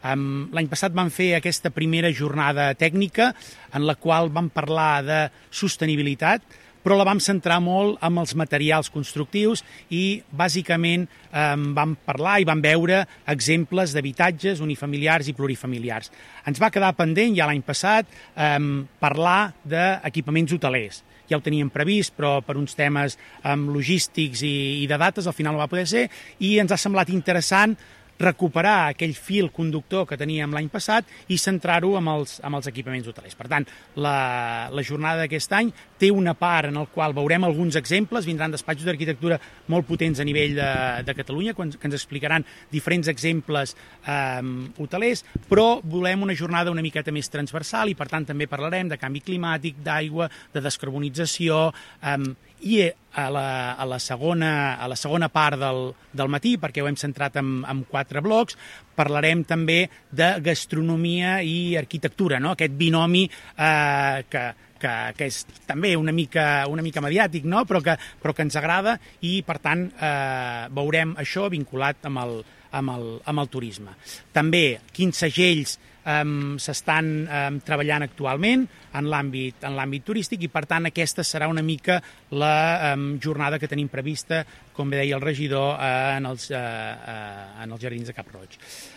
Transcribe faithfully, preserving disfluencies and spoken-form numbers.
L'any passat vam fer aquesta primera jornada tècnica en la qual vam parlar de sostenibilitat, però la vam centrar molt en els materials constructius i, bàsicament, eh, vam parlar i vam veure exemples d'habitatges unifamiliars i plurifamiliars. Ens va quedar pendent, ja l'any passat, eh, parlar d'equipaments hotelers. Ja ho teníem previst, però per uns temes eh, logístics i, i de dates al final no va poder ser, i ens ha semblat interessant recuperar aquell fil conductor que teníem l'any passat i centrar-ho amb els, amb els equipaments hotelers. Per tant, la, la jornada d'aquest any té una part en la qual veurem alguns exemples, vindran despatxos d'arquitectura molt potents a nivell de, de Catalunya, que ens explicaran diferents exemples eh, hotelers, però volem una jornada una miqueta més transversal i, per tant, també parlarem de canvi climàtic, d'aigua, de descarbonització, eh, i a la, a la, segona, a la segona part del, del matí, perquè ho hem centrat en, en quatre blocs, parlarem també de gastronomia i arquitectura, no? Aquest binomi eh, que, que, que és també una mica, una mica mediàtic, no? però, que, però que ens agrada i, per tant, eh, veurem això vinculat amb el, amb el, amb el turisme. També quins segells Um, s'estan um, treballant actualment en l'àmbit en l'àmbit turístic i, per tant, aquesta serà una mica la um, jornada que tenim prevista, com bé deia el regidor, uh, en, els, uh, uh, en els Jardins de Cap Roig.